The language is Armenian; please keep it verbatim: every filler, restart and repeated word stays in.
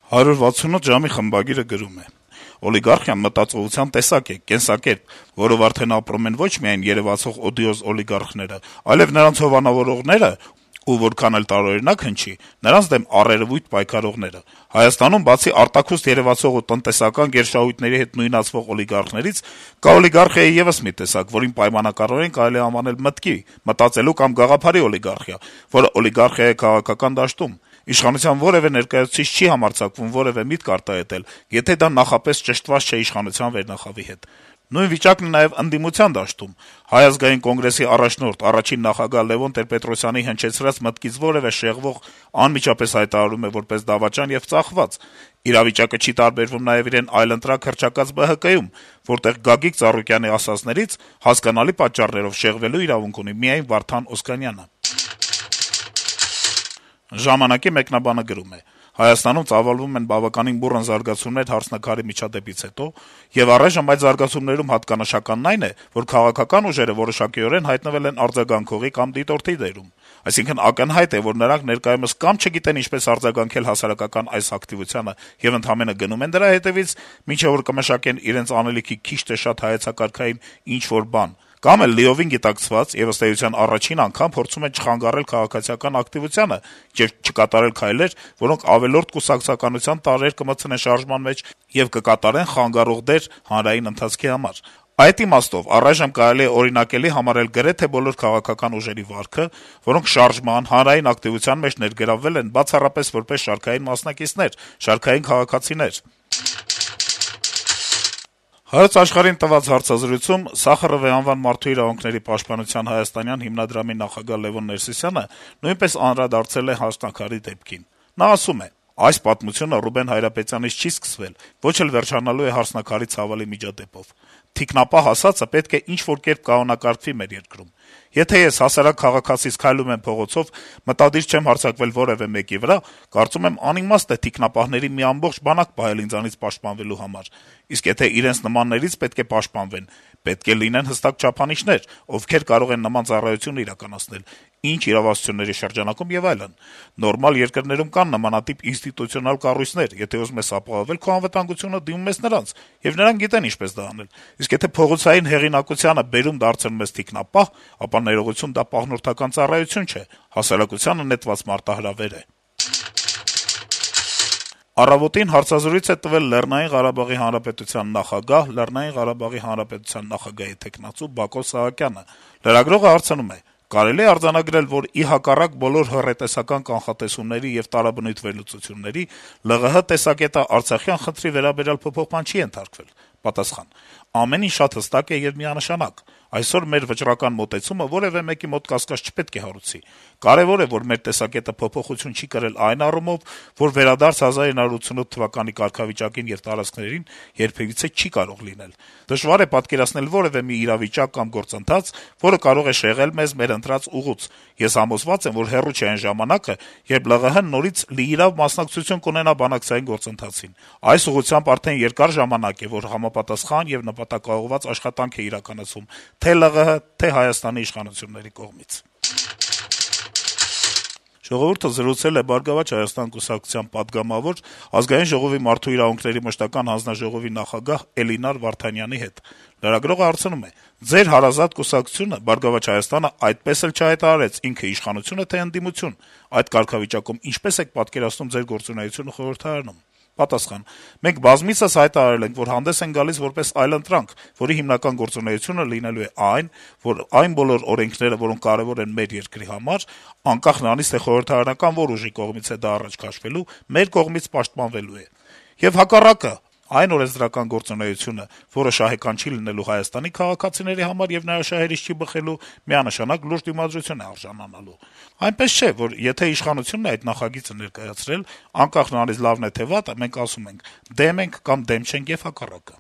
«հարյուր վաթսունութ ժամ»-ի խմբագիրը գրում է. - «Օլիգարխիան մտածողության տեսակ է, կենսակերպ, որով արդեն ապրում են ոչ միայն երեւացող օդիոզ օլիգարխները, այլեւ նրանց հովանավորողները ու, որքան էլ տարօրինակ հնչի, նրանց դեմ առերեւույթ պայքարողները: Հայաստանում, բացի արտաքուստ երեւացող ու տնտեսական գերշահույթների հետ նույնացվող օլիգարխներից, կա օլիգարխիայի եւս մի տեսակ, որին պայմանականորեն կարելի է անվանել մտքի, մտածելու կամ գաղափարի օլիգարխիա, որը օլիգարխիա է քաղաքական դաշտում: Իշխանության որեւէ ներկայացուցիչ չի համարձակվում որեւէ միտք արտահայտել, եթե դա նախապես ճշտված չէ իշխանության վերնախավի հետ: Նույն վիճակն է նաեւ ընդդիմության դաշտում: Հայ ազգային կոնգրեսի առաջնորդ, առաջին նախագահ Լեւոն Տեր-Պետրոսյանի հնչեցրած մտքից որեւէ շեղվող անմիջապես հայտարարում է որպես դավաճան եւ ծախված: Իրավիճակը չի տարբերվում նաեւ իրեն այլընտրանք հռչակած Бэ Հ Կ-ում, որտեղ Գագիկ Ծառուկյանի ասածներից, հասկանալի պատճառներով, շեղվելու իրավունք ունի միայն Վարդան Օսկանյանը»: «Ժամանակ»-ի մեկնաբանը գրում է. - «Հայաստանում ծավալվում են բավականին բուռն զարգացումներ «Հարսնաքար»-ի միջադեպից հետո, եւ առայժմ այդ զարգացումներում հատկանշականն այն է, որ քաղաքական ուժերը որոշակիորեն հայտնվել են արձագանքողի կամ դիտորդի դերում: Այսինքն` ակնհայտ է, որ նրանք ներկայումս կամ չգիտեն ինչպես արձագանքել հասարակական այս ակտիվությանը եւ ընդամենը գնում են դրա հետեւից, մինչեւ որ կմշակեն իրենց անելիքի քիչ թե շատ հայեցակարգային ինչ-որ բան, կամ էլ լիովին գիտակցված եւ, ըստ էության, առաջին անգամ փորձում են չխանգարել քաղաքացիական ակտիվությանը եւ չկատարել քայլեր, որոնք ավելորդ կուսակցականության տարրեր կմտցնեն շարժման մեջ եւ կկատարեն խանգարող դեր հանրային ընթացքի համար: Այդ իմաստով առայժմ կարելի է օրինակելի համարել գրեթե բոլոր քաղաքական ուժերի վարքը, որոնք շարժման, հանրային ակտիվության մեջ ներգրավվել են բացառապես որպես շարքային մասնակիցներ, շարքային քաղաքացիներ»: «Հայոց Աշխարհ»-ին տված հարցազրույցում Սախարովի անվան մարդու իրավունքների պաշտպանության հայաստանյան հիմնադրամի նախագահ Լեւոն Ներսիսյանը նույնպես անդրադարձել է «Հարսնաքար»-ի դեպքին: Նա ասում է. - «Այս պատմությունը Ռուբեն Հայրապետյանից չի սկսվել, ոչ էլ վերջանալու է «Հարսնաքար»-ի ցավալի միջադեպով: Թիկնապահ ասածը պետք է ինչ-որ կերպ կանոնակարգվի մեր երկրում: Եթե ես, հասարակ քաղաքացիս, քայլում եմ փողոցով, մտադիր չեմ հարձակվել որեւէ մեկի վրա, կարծում եմ անիմաստ է թիկնապահների մի ամբողջ բանակ պահել ինձանից պաշտպանվելու համար: Իսկ եթե իրենց նմաններից պետք է պաշտպանվեն, պետք է լինեն հստակ չափանիշներ, ովքեր կարող են նման ծառայություն իրականացնել, ինչ իրավասությունների շրջանակում եւ այլն: Նորմալ երկրներում կան նմանատիպ ինստիտուցիոնալ կառույցներ, եթե ուզում ես ապահովել քո անվտանգությունը, դիմում ես նրանց, եւ նրանք գիտեն ինչպես դա անել: Իսկ եթե փողոցային հեղինակությանը բերում դարձնում ես թիկնապահ, ապա ներողություն, դա պահնորդական ծառայություն չէ, հասարակությանը նետված մարտահրավեր է»: «Առավոտ»-ին հարցազրույց է տվել Լեռնային Ղարաբաղի Հանրապետության նախագահ, Լեռնային Ղարաբաղի Հանրապետության նախագահի թեկնածու Բակո Սահակյանը: Լրագրողը հարցնում է. - «Կարելի է արձանագրել, որ ի հակառակ բոլոր հռետեսական կանխատեսումների եւ տարաբնույթ վերլուծությունների, Լեռնային Ղարաբաղի տեսակետը արցախյան խնդրի վերաբերյալ փոփոխման չի ենթարկվել»: Պատասխան. - «Ամեն ինչ շատ հստակ է եւ միանշանակ: Այսօր մեր վճռական մոտեցումը որեւէ մեկի մոտ կասկած չպետք է հարուցի: Կարեւոր է, որ մեր տեսակետը փոփոխություն չի կրել այն առումով, որ վերադարձ հազար ինը հարյուր ութսունութ թվականի կարգավիճակին եւ տարածքներին երբեւիցե չի կարող լինել: Դժվար է պատկերացնել որեւէ մի իրավիճակ կամ գործընթաց, որը կարող է շեղել մեզ մեր ընտրած ուղուց: Ես համոզված եմ, որ հեռու չէ այն ժամանակը, երբ Լեռնային Ղարաբաղը նորից լիիրավ մասնակցություն կունենա բանակցային գործընթացին: Այս ուղղությամբ արդեն երկար ժամանակ է, որ համապատասխան եւ նպատակաուղղված աշխատանք է իրականացվում թե՛ Լեռնային Ղարաբաղի, թե՛ Հայաստանի իշխանությունների կողմից»: «Ժողովուրդ»-ը զրուցել է «Բարգավաճ Հայաստան» կուսակցության պատգամավոր, Ազգային ժողովի մարդու իրավունքների մշտական հանձնաժողովի նախագահ Էլինար Վարդանյանի հետ: Լրագրողը հարցնում է. - «Ձեր հարազատ կուսակցությունը` «Բարգավաճ Հայաստանը», այդպես էլ չհայտարարեց ինքը իշխանություն է, թե ընդդիմություն: Այդ կարգավիճակում ինչպե՞ս եք պատկերացնում ձեր գործունեությունը խորհրդարանում»: Պատասխան. - «Մենք բազմիցս հայտարարել ենք, որ հանդես ենք գալիս որպես այլընտրանք, որի հիմնական գործունեությունը լինելու է այն, որ այն բոլոր օրենքները, որոնք կարեւոր են մեր երկրի համար, անկախ նրանից, թե խորհրդարանական որ ուժի կողմից է դա առաջ քաշվելու, մեր կողմից պաշտպանվելու է: Եվ հակառակը, այն օրենսդրական գործունեությունը, որը շահեկան չի լինելու Հայաստանի քաղաքացիների համար եւ նրա շահերից չի բխելու, միանշանակ լուրջ դիմադրություն է արժանանալու: Այնպես չէ, որ եթե իշխանությունն է այդ նախագիծը ներկայացրել, անկախ նրանից լավն է թե վատը, մենք ասում ենք` դեմ ենք կամ դեմ չենք եւ հակառակը»: